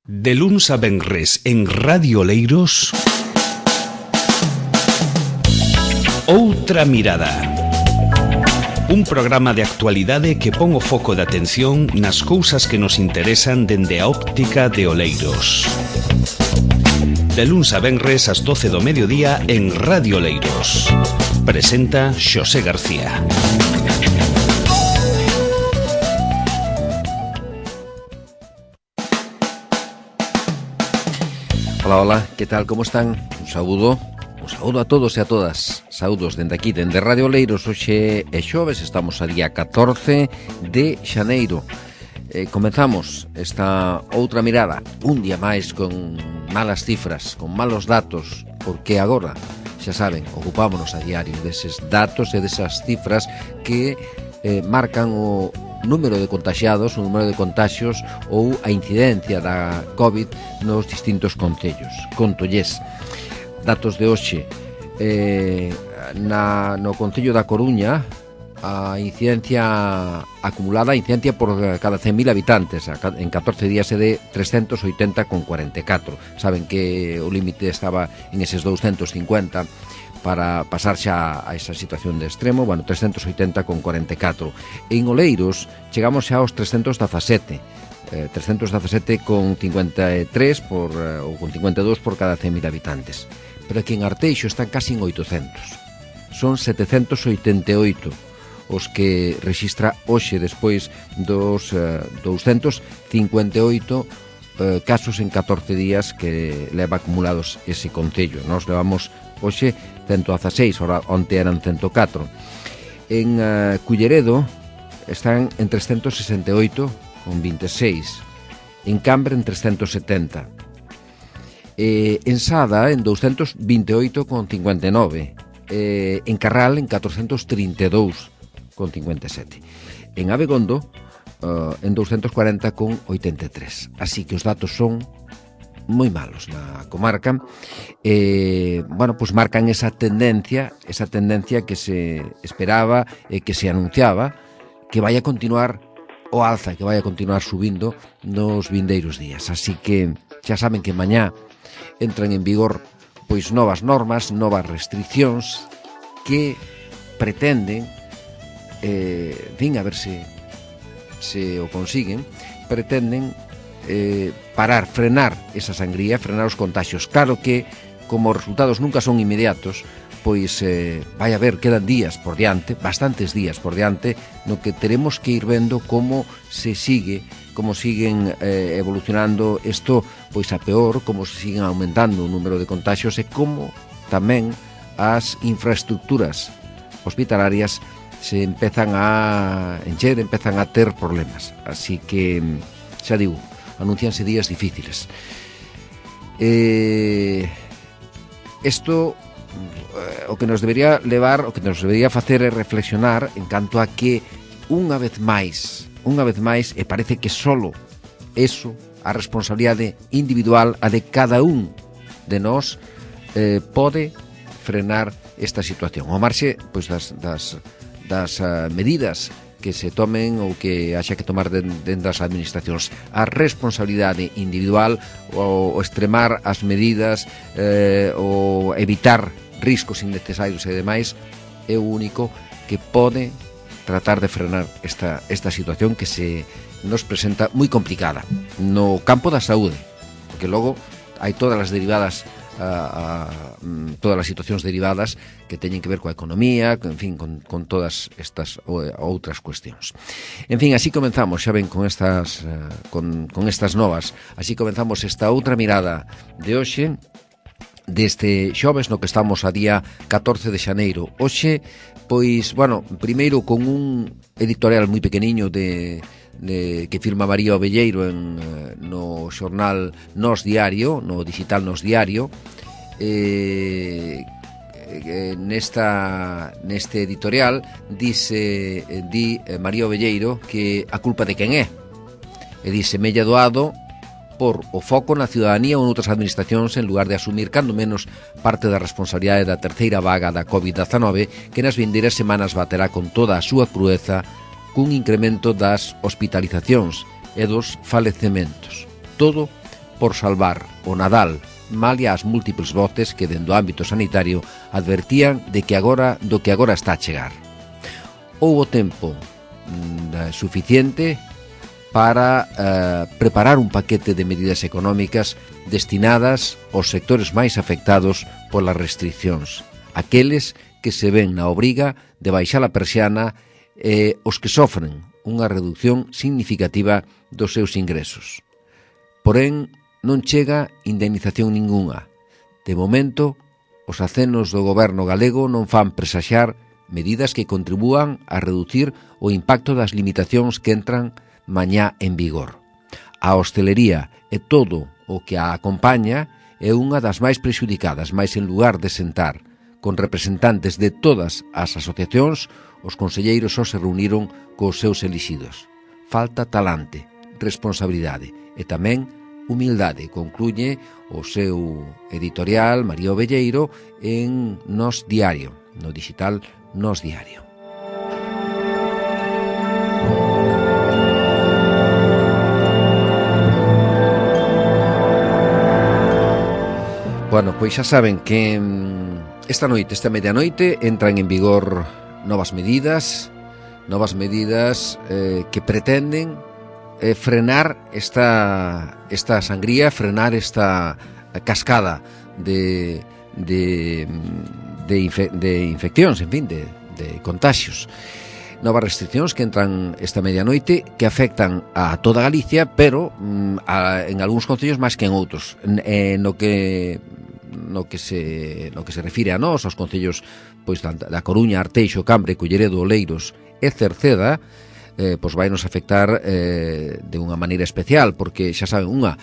De luns a venres en Radio Oleiros, Outra Mirada. Un programa de actualidade que pon o foco de atención nas cousas que nos interesan dende a óptica de Oleiros. De luns a venres ás 12 do mediodía en Radio Oleiros. Presenta Xosé García. Hola, hola, que tal, como están? Un saúdo a todos e a todas. Saúdos dende aquí, dende Radio Oleiros. Hoxe é xoves, estamos a día 14 de xaneiro. Comenzamos esta outra mirada, un día máis con malas cifras, con malos datos, porque agora, xa saben, ocupámonos a diario deses datos e desas cifras que marcan o número de contaxiados, o número de contaxios ou a incidencia da COVID nos distintos concellos. Contolles, datos de hoxe, no concello da Coruña, a incidencia acumulada, a incidencia por cada 100.000 habitantes en 14 días é de 380,44. Saben que o límite estaba en eses 250 para pasar xa a esa situación de extremo, 380,44. En Oleiros chegamos xa aos 317, 317,53 ou con 52 por cada 100.000 habitantes. Pero aquí en Arteixo están casi en 800. Son 788 os que rexistra hoxe despois dos 258 casos en 14 días que leva acumulados ese concello. Nos levamos hoxe 116, onte eran 104. En Culleredo están en 368,26. En Cambre en 370. En Sada en 228,59. En Carral en 432,57. En Abegondo en 240,83. Así que os datos son moi malos na comarca. Pues marcan esa tendencia que se esperaba e que se anunciaba que vai a continuar o alza, que vai a continuar subindo nos vindeiros días. Así que xa saben que mañá entran en vigor pois novas normas, novas restriccións que pretenden a ver se o consiguen, pretenden frenar esa sangría, frenar os contaxios. Claro que, como os resultados nunca son inmediatos, pois vai haber, quedan días por diante, bastantes días por diante, no que teremos que ir vendo como siguen evolucionando isto, pois a peor, como se siguen aumentando o número de contaxios e como tamén as infraestructuras hospitalarias se empezan a encher, empezan a ter problemas. Así que, xa digo, anuncianse días difíciles. Isto o que nos debería levar, o que nos debería facer é reflexionar en canto a que unha vez máis, e parece que solo eso, a responsabilidade individual, a de cada un de nós, pode frenar esta situación. O marxe pois das medidas que se tomen ou que haxa que tomar dentro das administracións. A responsabilidade individual, o extremar as medidas, o evitar riscos innecesarios e demais, é o único que pode tratar de frenar esta situación que se nos presenta moi complicada no campo da saúde, porque logo hai todas as derivadas, todas as situacións derivadas que teñen que ver coa economía, en fin, con todas estas outras cuestións. En fin, así comenzamos, xa ven, con estas novas, así comenzamos esta outra mirada de hoxe, deste xoves no que estamos a día 14 de xaneiro. Hoxe, pois, primeiro con un editorial moi pequeniño que firma María Ovelleiro no xornal Nós Diario, no digital Nós Diario. Neste editorial di María Ovelleiro que a culpa de quen é, e dise mella doado por o foco na ciudadanía ou noutras administracións en lugar de asumir cando menos parte da responsabilidade da terceira vaga da COVID-19 que nas vindeiras semanas baterá con toda a súa crueza cun incremento das hospitalizacións e dos falecementos. Todo por salvar o Nadal, malia as múltiples voces que dentro do ámbito sanitario advertían do que agora está a chegar. Houbo tempo suficiente para preparar un paquete de medidas económicas destinadas aos sectores máis afectados polas restriccións, aqueles que se ven na obriga de baixar a persiana os que sofren unha reducción significativa dos seus ingresos. Porén, non chega indemnización ningunha. De momento, os acenos do goberno galego non fan presaxar medidas que contribúan a reducir o impacto das limitacións que entran mañá en vigor. A hostelería e todo o que a acompaña é unha das máis prexudicadas, máis en lugar de sentar con representantes de todas as asociacións, os conselleiros só se reuniron cos seus elixidos. Falta talante, responsabilidade e tamén humildade, concluye o seu editorial María Ovelleiro en Nós Diario, no digital Nós Diario. Bueno, pois xa saben que esta medianoite, entran en vigor novas medidas que pretenden frenar esta sangría, frenar esta cascada de infeccións, en fin, de contaxios. Novas restriccións que entran esta medianoite que afectan a toda Galicia, pero en algúns concellos máis que en outros. No que se refire a nós, aos concellos pois da Coruña, Arteixo, Cambre, Culleredo, Oleiros e Cerceda, pois vai nos afectar de unha maneira especial, porque xa saben, a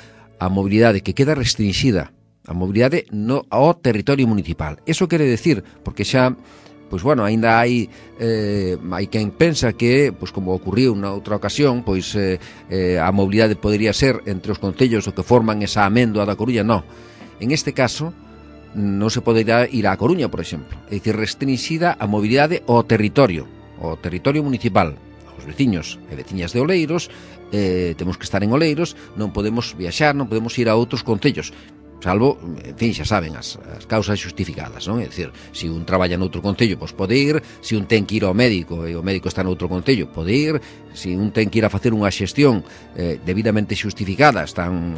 mobilidade que queda restringida, a mobilidade ao territorio municipal. Eso quere decir, porque xa pois bueno, aínda hai quen pensa que, pois como ocurriu na outra ocasión, pois a mobilidade podería ser entre os concellos o que forman esa améndoa da Coruña. Non. En este caso, non se poderá ir á Coruña, por exemplo. É dicir, restringida a mobilidade ao territorio municipal. Os veciños e veciñas de Oleiros, temos que estar en Oleiros, non podemos viaxar, non podemos ir a outros concellos, salvo, en fin, xa saben, as causas xustificadas, non? É dicir, se un traballa noutro concello, pois pode ir, se un ten que ir ao médico e o médico está noutro concello, pode ir, se un ten que ir a facer unha xestión debidamente xustificada,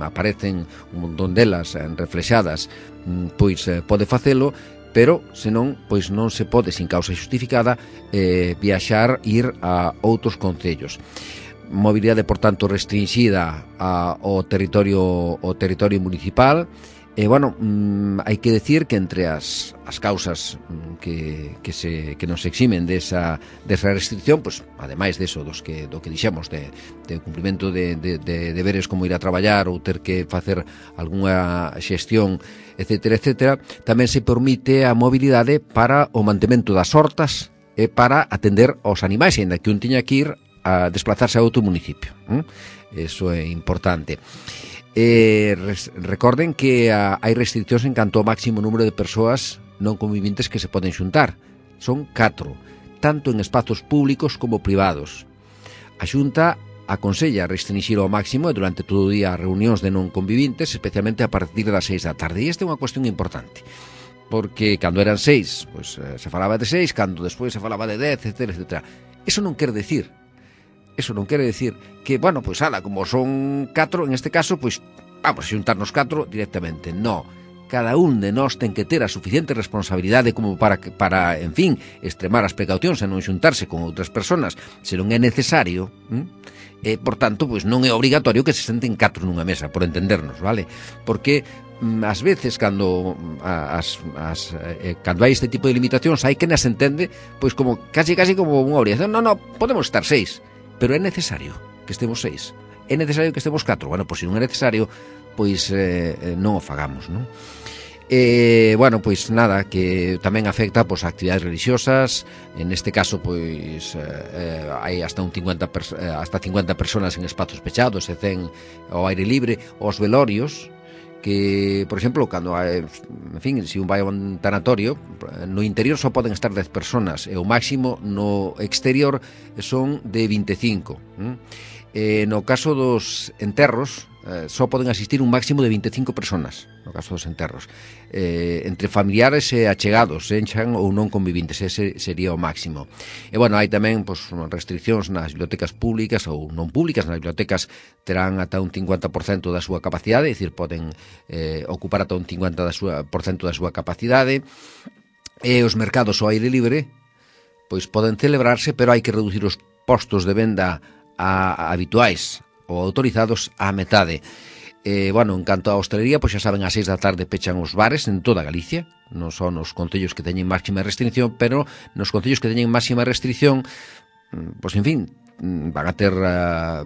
aparecen un montón delas reflexadas, pois pode facelo, pero senón, pois non se pode, sin causa xustificada, viaxar, ir a outros concellos. Mobilidade, por tanto, restringida ao territorio municipal. E, bueno, hai que decir que entre as causas que nos eximen desa restricción, pues, ademais deso do que dixemos de cumprimento de deberes como ir a traballar ou ter que facer algunha xestión, etcétera, tamén se permite a mobilidade para o mantemento das hortas e para atender aos animais, ainda que un tiña que ir a desplazarse a outro municipio. Eso é importante. Recorden que hai restriccións en canto ao máximo número de persoas non conviventes que se poden xuntar. Son 4, tanto en espazos públicos como privados. A Xunta aconsella restringir ao máximo e durante todo o día reunións de non conviventes, especialmente a partir das 6 da tarde. E esta é unha cuestión importante, porque cando eran 6, pois se falaba de 6, cando despois se falaba de 10, etcétera. Eso non quere decir que, bueno, pois como son 4, en este caso, pois vamos a xuntarnos 4 directamente. No, cada un de nós ten que ter a suficiente responsabilidade como para, en fin, extremar as precaucións e non xuntarse con outras persoas se non é necesario. Por tanto, pois non é obrigatorio que se senten 4 nunha mesa, por entendernos, vale? Porque ás veces cando hai este tipo de limitacións hai quen as entende pois como casi como unha obrigación. Non, podemos estar 6, pero é necesario que estemos 6, é necesario que estemos 4. Bueno, pois se non é necesario, pois non o fagamos, non? Bueno, pois nada, que tamén afecta pois a actividades religiosas. En este caso, pois hai hasta 50 personas en espazos pechados e 100 ao aire libre. Os velorios, que, por exemplo, cando en fin, se un vai a un tanatorio, no interior só poden estar 10 personas e o máximo no exterior son de 25. No caso dos enterros, só poden asistir un máximo de 25 personas, no caso dos enterros, entre familiares e achegados, enxan ou non convivintes, ese sería o máximo. E bueno, hai tamén restriccións nas bibliotecas públicas ou non públicas. Nas bibliotecas terán ata un 50% da súa capacidade, é dicir, poden ocupar ata un 50% da súa capacidade. E os mercados ao aire libre pois poden celebrarse, pero hai que reducir os postos de venda habituais ou autorizados á metade. Bueno, en canto á hostelería, pois xa saben, ás 6 da tarde pechan os bares en toda Galicia, non son os concellos que teñen máxima restricción, pero nos concellos que teñen máxima restricción, pois en fin, van a ter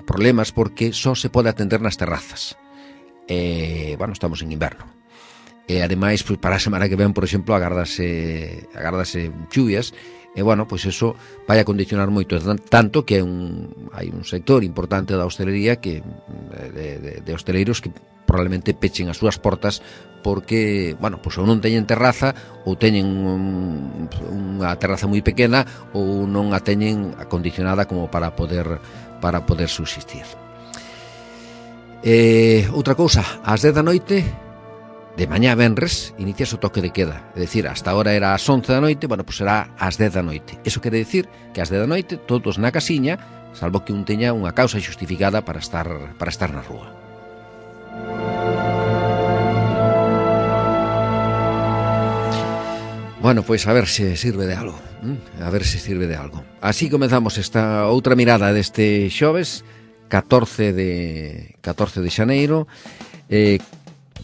problemas porque só se pode atender nas terrazas. Bueno, estamos en inverno. E ademais, pois, para a semana que ven, por exemplo, agárdase chuvias. E, bueno, pois eso vai a condicionar moito, tanto que hai un sector importante da hostelería que de hosteleiros que probablemente pechen as súas portas porque, bueno, pois ou non teñen terraza ou teñen unha terraza moi pequena ou non a teñen acondicionada como para poder subsistir. Outra cousa, ás 10 da noite de mañá venres, inicias o toque de queda. É dicir, hasta ahora era ás 11 da noite, bueno, pois será ás 10 da noite. Eso quere dicir que ás 10 da noite todos na casiña, salvo que un teña unha causa xustificada para estar na rúa. Bueno, pois a ver se sirve de algo. Así comezamos esta outra mirada deste xoves, 14 de xaneiro.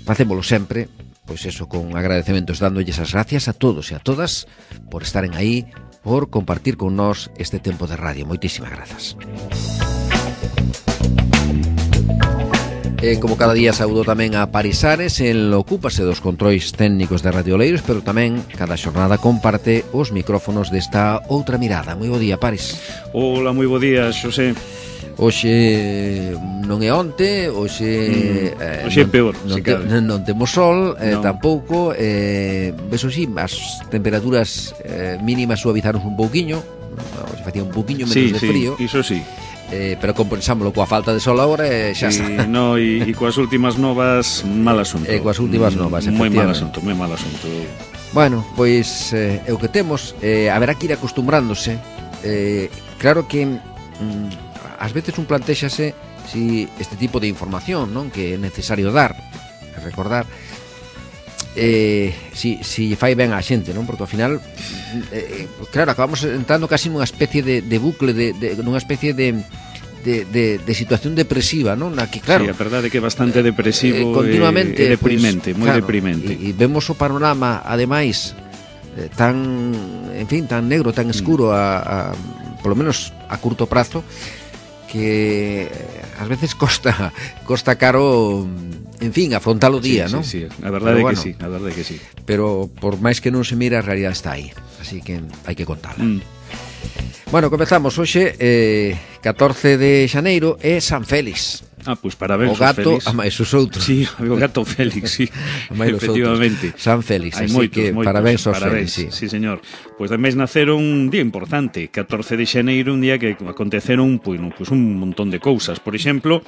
Facémolo sempre, pois eso, con agradecementos, dándolles as gracias a todos e a todas por estaren aí, por compartir con nós este tempo de radio. Moitísimas grazas. Como cada día, saúdo tamén a Parisares, el ocúpase dos controis técnicos de Radio Oleiros, pero tamén cada xornada comparte os micrófonos desta outra mirada. Moi bo día, Paris. Hola, moi bo día, Xosé. Hoxe non é onte, hoxe é peor, non temos sol, tampouco, beso sí, as temperaturas mínimas suavizaron un pouquiño, hoxe facía un pouquiño menos de frío. Iso sí. Pero compensámoslo coa falta de sol agora e xa está. No, e coas últimas novas, mal asunto. Coas últimas novas, moi mal asunto. Bueno, pois é o que temos, haberá que ir acostumbrándose. Claro que ás veces un plantéxase si este tipo de información, non, que é necesario dar, recordar, si fai ben a xente, non? Porque ao final, claro, acabamos entrando casi nunha especie de bucle, nunha especie de situación depresiva, non? Na que, claro, sí, a verdade é que é bastante depresivo, continuamente, deprimente, moi deprimente. E vemos o panorama, ademais, tan negro, tan escuro, polo menos a curto prazo, que ás veces costa caro, en fin, afrontar o día, non? Sí, a verdade é que sí. Pero por máis que non se mira, a realidade está aí, así que hai que contala. Bueno, comezamos hoxe, 14 de xaneiro, é San Félix. Pois parabéns, o gato, Félix. A máis os outros. Sí, o gato Félix, sí. Efectivamente. San Félix, así moitos, que parabéns aos Félix. Sí, señor. Pois tamén naceron un día importante, 14 de xaneiro, un día que aconteceron un montón de cousas. Por exemplo,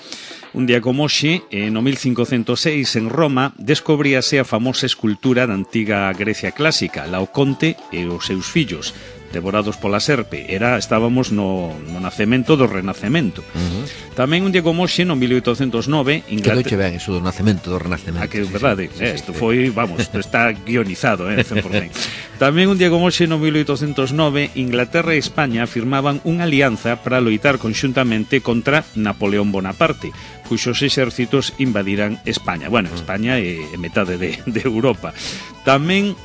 un día como hoxe, no 1506, en Roma, descobríase a famosa escultura da antiga Grecia clásica, Laoconte e os seus fillos, devorados pola serpe. Estábamos no nacemento do Renacemento. Tamén un día como hoxe, no 1809, Inglaterra... Que doiche ben iso do nacemento do Renacemento. Que é verdade, isto foi, está guionizado, 100%. Tamén un día como hoxe, no 1809, Inglaterra e España firmaban unha alianza para loitar conxuntamente contra Napoleón Bonaparte, cuxos exércitos invadiran España. Bueno, España é metade de Europa. Tamén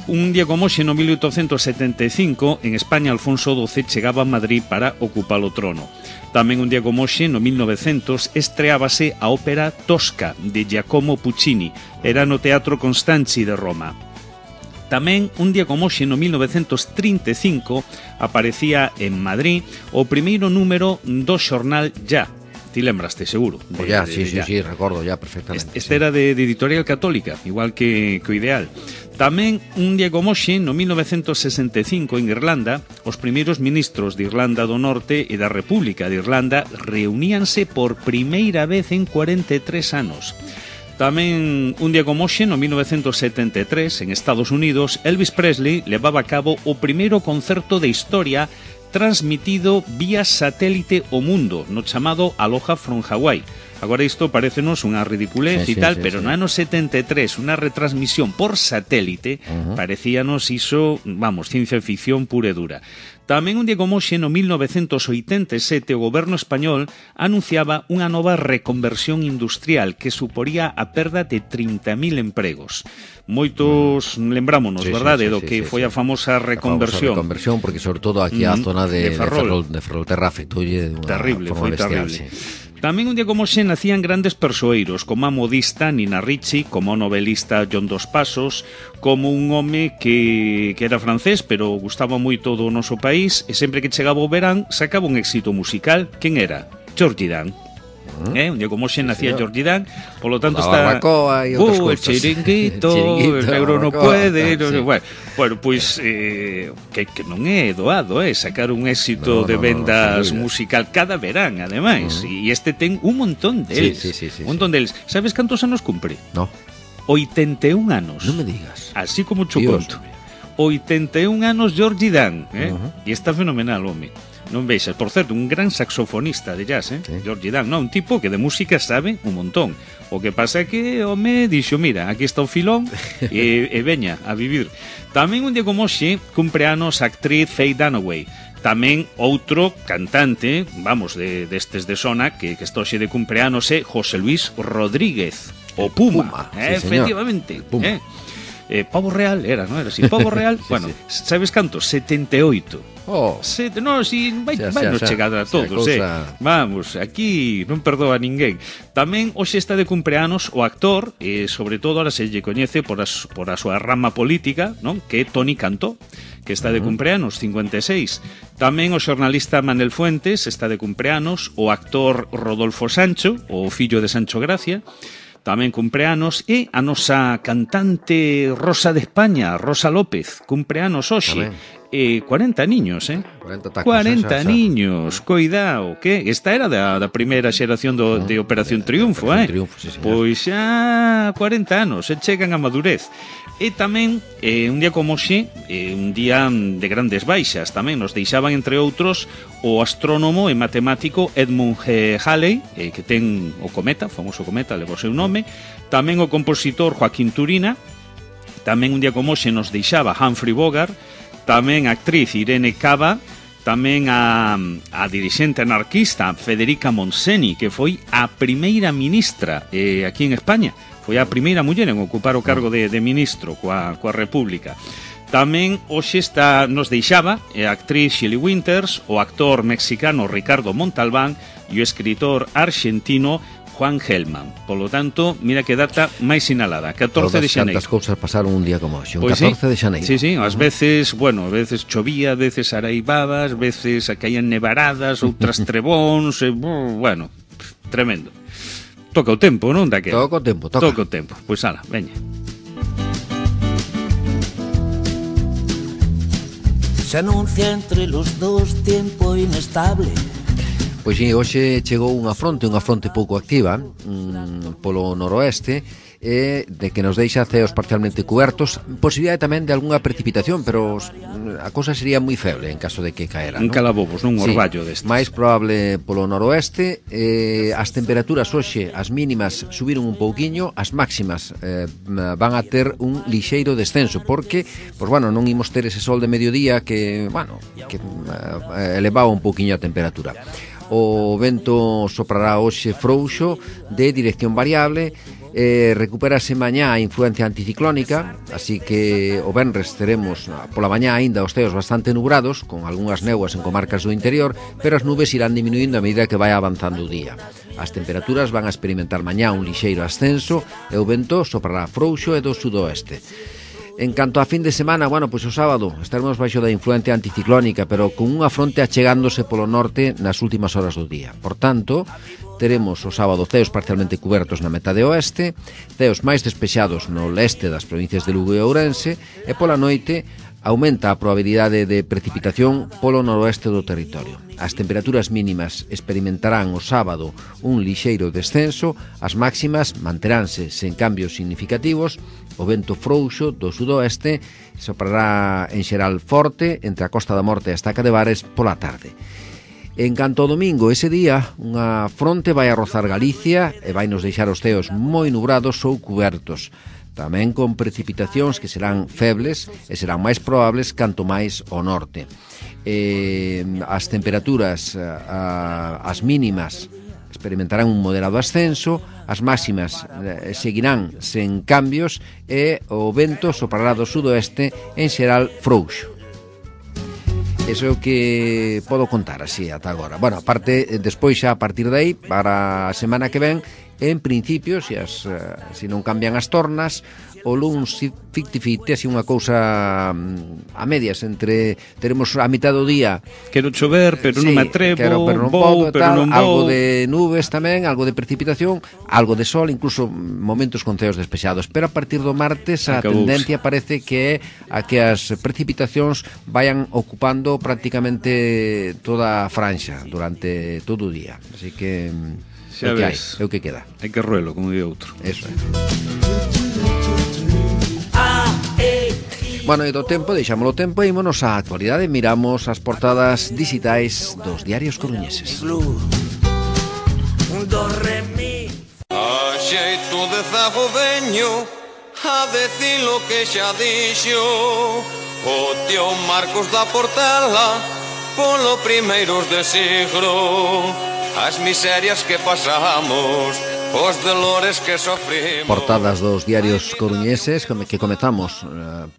un día como hoxe, no 1875, en España, Alfonso XII chegaba a Madrid para ocupar o trono. Tamén un día como hoxe, no 1900, estreábase a ópera Tosca, de Giacomo Puccini. Era no Teatro Constanzi de Roma. Tamén, un día como hoxe, no 1935, aparecía en Madrid o primeiro número do xornal Ya. Ti lembraste, seguro. Sí, recordo ya perfectamente. Este era de Editorial Católica, igual que o Ideal. Tamén, un día como hoxe, no 1965, en Irlanda, os primeiros ministros de Irlanda do Norte e da República de Irlanda reuníanse por primeira vez en 43 anos. Tamén, un día como hoxe, no 1973, en Estados Unidos, Elvis Presley levaba a cabo o primeiro concerto de historia transmitido vía satélite ao mundo, no chamado Aloha from Hawaii. Agora isto parecenos unha ridiculez e tal, pero no ano 73, unha retransmisión por satélite, parecíanos iso, vamos, ciencia ficción pura e dura. Tamén un día como hoxe, no 1987, o goberno español anunciaba unha nova reconversión industrial que suporía a perda de 30.000 empregos. Moitos lembrámonos, verdade, do que foi a famosa reconversión. A reconversión, porque sobre todo aquí a zona de Ferrolterra afectoulle terrible, foi terrible. Tamén un día como hoxe nacían grandes persoeiros, como a modista Nina Ricci, como o novelista John Dos Passos, como un home que era francés, pero gustaba moito do noso país, e sempre que chegaba o verán sacaba un éxito musical. Quen era? Georgie Dan. Un día como hoxe nacía Georgie Dan, polo tanto está el chiringuito, el negro no puede, bueno, pois que non é doado, sacar un éxito de vendas musical cada verán, ademais, e este ten un montón deles, un montón deles. Sabes cantos anos cumpre? No. 81 anos. Non me digas. Así como cho conto. 81 anos Georgie Dan, e está fenomenal, home. Non veixas, por certo, un gran saxofonista de jazz, Georgie Dan, un tipo que de música sabe un montón. O que pasa é que o me dixo, mira, aquí está o filón e veña a vivir. Tamén un día como hoxe cumpre anos a actriz Faye Dunaway. Tamén outro cantante, vamos, destes de zona, que está hoxe de cumpleanos é José Luis Rodríguez, o Puma, efectivamente. Puma. Pavo Real era, non era así? Pavo Real, bueno, sabes canto? 78. No, si vai nos chegar a todos, Vamos, aquí non perdoa ninguén. Tamén hoxe está de cumpleanos o actor, sobre todo ahora se lle coñece por a súa rama política, non? Que é Toni Cantó, que está de cumpleanos, 56. Tamén o xornalista Manel Fuentes está de cumpleanos, o actor Rodolfo Sancho, o fillo de Sancho Gracia, tamén cumpleanos, e a nosa cantante Rosa de España, Rosa López, cumpleanos hoxe. 40 niños, 40 niños, coidado, que esta era da primeira xeración de Operación Triunfo, Pois xa 40 anos, chegan a madurez. E tamén, un día como hoxe, un día de grandes baixas, tamén nos deixaban, entre outros, o astrónomo e matemático Edmund Halley, que ten o cometa, o famoso cometa, leva o seu nome, tamén o compositor Joaquín Turina, tamén un día como hoxe nos deixaba Humphrey Bogart, tamén a actriz Irene Cava, tamén a dirixente anarquista Federica Montseny, que foi a primeira ministra aquí en España, foi a primeira muller en ocupar o cargo de ministro coa República. Tamén hoxe nos deixaba a actriz Shelley Winters, o actor mexicano Ricardo Montalbán e o escritor argentino Juan Gelman. Polo tanto, mira que data máis sinalada, 14 de xaneiro. Tantas cousas pasaron un día como hoxe, un 14 de xaneiro. Sí, ás veces, a veces chovía, a veces araivaba, ás veces caían nevaradas, outras trebóns, bueno, tremendo. Toca o tempo, non, daquela? Toca o tempo. Pois ala, veña. Se anuncia entre los dos tiempo inestable. Pois sí, hoxe chegou unha fronte pouco activa polo noroeste, de que nos deixa ceos parcialmente cubertos, posibilidade tamén de algunha precipitación, pero a cousa sería moi feble en caso de que caera, un calabobos, un orballo destes. Máis probable polo noroeste. As temperaturas hoxe, as mínimas subiron un pouquiño, as máximas van a ter un lixeiro descenso, porque, non imos ter ese sol de mediodía que elevaba un pouquiño a temperatura. O vento soprará hoxe frouxo de dirección variable, recuperase mañá a influencia anticiclónica, así que o venres teremos pola mañá aínda os ceos bastante nubrados, con algunhas néboas en comarcas do interior, pero as nubes irán diminuindo a medida que vai avanzando o día. As temperaturas van a experimentar mañá un lixeiro ascenso e o vento soprará frouxo e do sudoeste. En canto a fin de semana, bueno, pois o sábado estaremos baixo da influencia anticiclónica, pero con unha fronte achegándose polo norte nas últimas horas do día. Por tanto, teremos o sábado ceos parcialmente cubertos na metade oeste, ceos máis despexados no leste das provincias de Lugo e Ourense, e pola noite aumenta a probabilidade de precipitación polo noroeste do territorio. As temperaturas mínimas experimentarán o sábado un lixeiro descenso, as máximas manteránse sen cambios significativos, o vento frouxo do sudoeste soprará en xeral forte entre a Costa da Morte e a Estaca de Bares pola tarde. En canto ao domingo, ese día, unha fronte vai a rozar Galicia e vai nos deixar os ceos moi nubrados ou cubertos, tamén con precipitacións que serán febles e serán máis probables canto máis ao norte. As temperaturas, as mínimas, experimentarán un moderado ascenso, as máximas seguirán sen cambios e o vento soprará do sudoeste en xeral frouxo. Eso é o que podo contar así ata agora. Bueno, aparte, despois xa a partir de aí, para a semana que ven, en principio, se non cambian as tornas, o luns 50-50, así unha cousa a medias, entre teremos a mitad do día quero chover, pero non me atrevo, pero non vou, pero non vou, algo de nubes tamén, algo de precipitación, algo de sol, incluso momentos con ceos despexados, pero a partir do martes a tendencia parece que é a que as precipitacións vayan ocupando prácticamente toda a franxa durante todo o día, así que xa ves, é o que queda. Hai que ruelo, como di outro. Eso é. Bueno, e do tempo, deixámoslo tempo e ímonos á actualidade. Miramos as portadas digitais dos diarios coruñeses. A xeito de zago veño a decir lo que xa dixo o tío Marcos da Portela polo primeiros de siglo. As miserias que pasamos, os dolores que sofrimos. Portadas dos diarios coruñeses que comezamos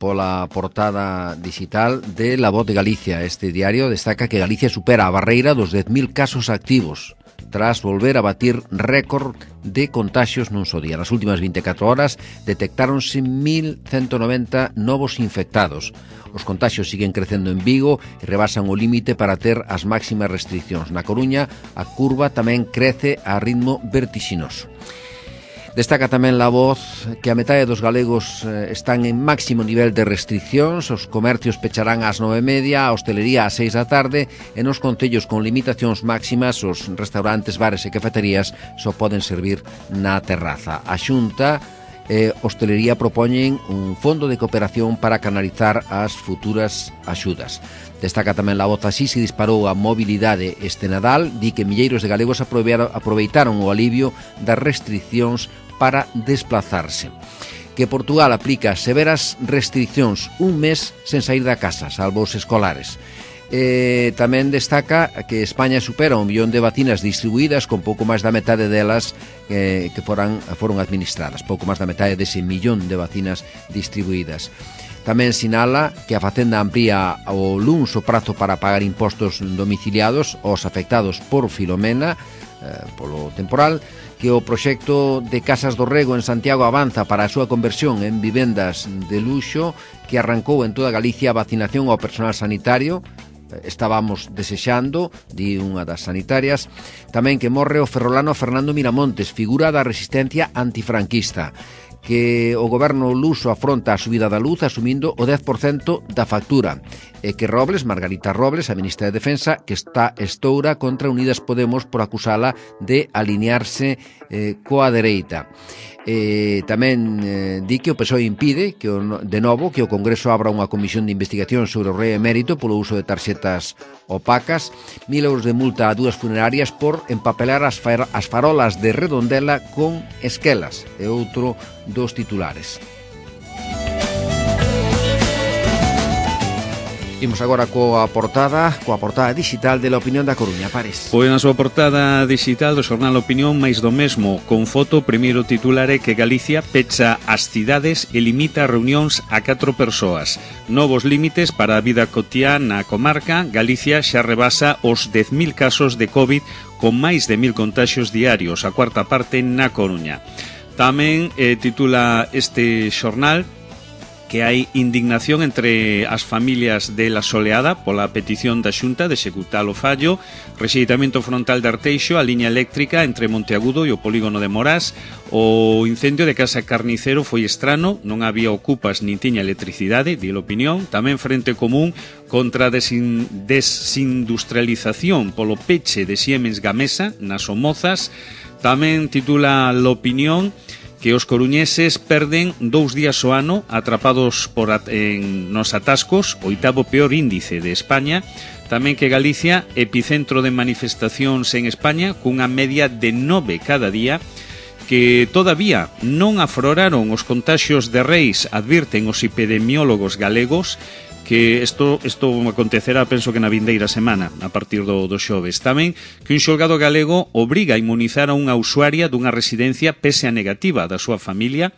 pola portada digital de La Voz de Galicia. Este diario destaca que Galicia supera a barreira dos 10.000 casos activos tras volver a batir récord de contaxios nun só día. Nas últimas 24 horas detectáronse 1.190 novos infectados. Os contaxios siguen crecendo en Vigo e rebasan o límite para ter as máximas restriccións. Na Coruña, a curva tamén crece a ritmo vertixinoso. Destaca tamén La Voz que a metade dos galegos están en máximo nivel de restriccións, os comercios pecharán ás 9:30, a hostelería ás 6 da tarde e nos concellos con limitacións máximas os restaurantes, bares e cafeterías só poden servir na terraza. A Xunta e hostelería propoñen un fondo de cooperación para canalizar as futuras axudas. Destaca tamén La Voz así se disparou a mobilidade este Nadal, di que milleiros de galegos aproveitaron o alivio das restriccións para desplazarse. Que Portugal aplica severas restriccións un mes sen sair da casa, salvo os escolares. Tamén destaca que España supera 1 millón de vacinas distribuídas, con pouco máis da metade delas que foron administradas, pouco máis da metade dese millón de vacinas distribuídas. Tamén sinala que a Facenda amplía o luns o prazo para pagar impostos domiciliados aos afectados por Filomena, polo temporal, que o proxecto de Casas do Rego en Santiago avanza para a súa conversión en vivendas de luxo, que arrancou en toda Galicia a vacinación ao personal sanitario. Estábamos desexando, di unha das sanitarias, tamén que morre o ferrolano Fernando Miramontes, figura da resistencia antifranquista, que o goberno luso afronta a subida da luz asumindo o 10% da factura, e que Margarita Robles, a ministra de Defensa, que está estoura contra Unidas Podemos por acusala de alinearse coa dereita. Tamén di que o PSOE impide de novo que o Congreso abra unha comisión de investigación sobre o rei emérito polo uso de tarxetas opacas, 1.000 euros de multa a 2 funerarias por empapelar as farolas de Redondela con esquelas, é outro dos titulares. Imos agora coa portada digital de La Opinión da Coruña. Pares. Pois na súa portada digital do xornal Opinión máis do mesmo, con foto, primeiro titular é que Galicia pecha as cidades e limita reunións a 4 persoas. Novos límites para a vida cotiá na comarca. Galicia xa rebasa os 10.000 casos de COVID con máis de 1.000 contaxios diarios, a cuarta parte na Coruña. Tamén titula este xornal que hai indignación entre as familias de La Soleada pola petición da Xunta de executar o fallo, rexeitamento frontal de Arteixo, a liña eléctrica entre Monteagudo e o polígono de Morás, o incendio de Casa Carnicero foi estrano, non había ocupas nin tiña electricidade, di a opinión, tamén Frente Común contra a desindustrialización polo peche de Siemens Gamesa nas Somozas, tamén titula a opinión que os coruñeses perden 2 días ao ano atrapados nos atascos, o 8º peor índice de España. Tamén que Galicia, epicentro de manifestacións en España, cunha media de 9 cada día, que todavía non afloraron os contaxios de reis, advirten os epidemiólogos galegos, que isto acontecerá, penso que na vindeira semana, a partir do xoves. Tamén que un xulgado galego obriga a inmunizar a unha usuaria dunha residencia pese a negativa da súa familia.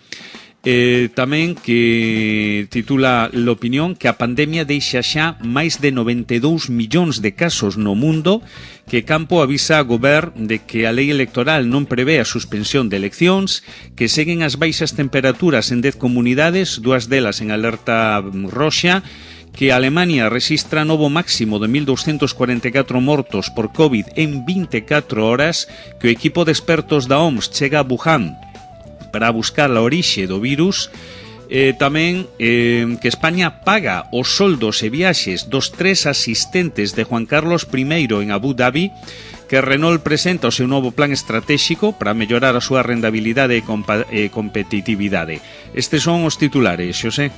Tamén que titula l'opinión que a pandemia deixa xa máis de 92 millóns de casos no mundo, que Campo avisa a Govern de que a lei electoral non prevé a suspensión de eleccións, que seguen as baixas temperaturas en 10 comunidades, 2 delas en alerta roxa, que Alemania registra novo máximo de 1.244 mortos por COVID en 24 horas, que o equipo de expertos da OMS chega a Wuhan para buscar a orixe do virus, tamén que España paga os soldos e viaxes dos 3 asistentes de Juan Carlos I en Abu Dhabi, que Renault presenta o seu novo plan estratégico para mellorar a súa rentabilidade e competitividade. Estes son os titulares, Xosé.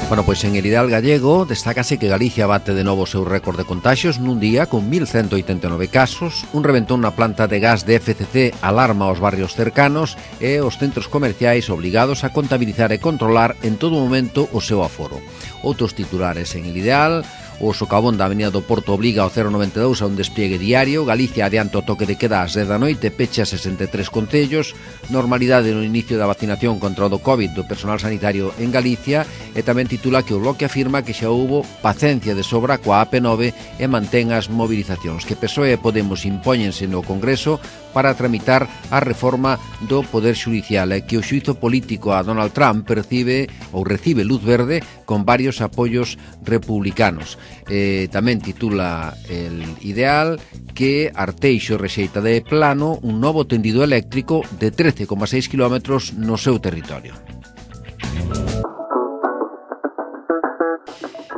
Bueno, pois en el Ideal Gallego destácase que Galicia bate de novo o seu récord de contaxios nun día con 1.189 casos, un reventón na planta de gas de FCC alarma aos barrios cercanos e os centros comerciais obligados a contabilizar e controlar en todo momento o seu aforo. Outros titulares en el Ideal: o socavón da Avenida do Porto obliga ao 092 a un despliegue diario, Galicia adianta o toque de queda ás 10 da noite, pecha 63 concellos, normalidade no inicio da vacinación contra o do COVID do personal sanitario en Galicia, e tamén titula que o Bloque afirma que xa houbo paciencia de sobra coa AP9 e mantén as movilizacións, que PSOE e Podemos impóñense no Congreso para tramitar a reforma do Poder Xudicial, e que o xuízo político a Donald Trump recibe luz verde con varios apoios republicanos. Tamén titula el Ideal que Arteixo rexeita de plano un novo tendido eléctrico de 13,6 km no seu territorio.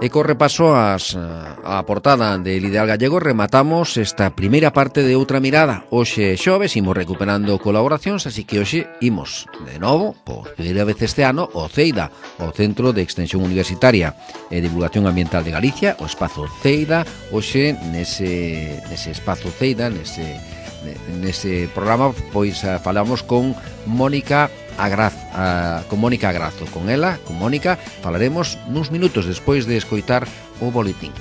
E co repaso a portada del Ideal Gallego rematamos esta primeira parte de Outra Mirada. Hoxe xoves imos recuperando colaboracións, así que hoxe imos de novo, por primeira vez este ano, o CEIDA, o Centro de Extensión Universitaria e Divulgación Ambiental de Galicia, o Espazo CEIDA. Hoxe nese Espazo CEIDA, nese programa, pois falamos con Mónica Agrazo. Con Mónica falaremos nuns minutos despois de escoitar o boletín.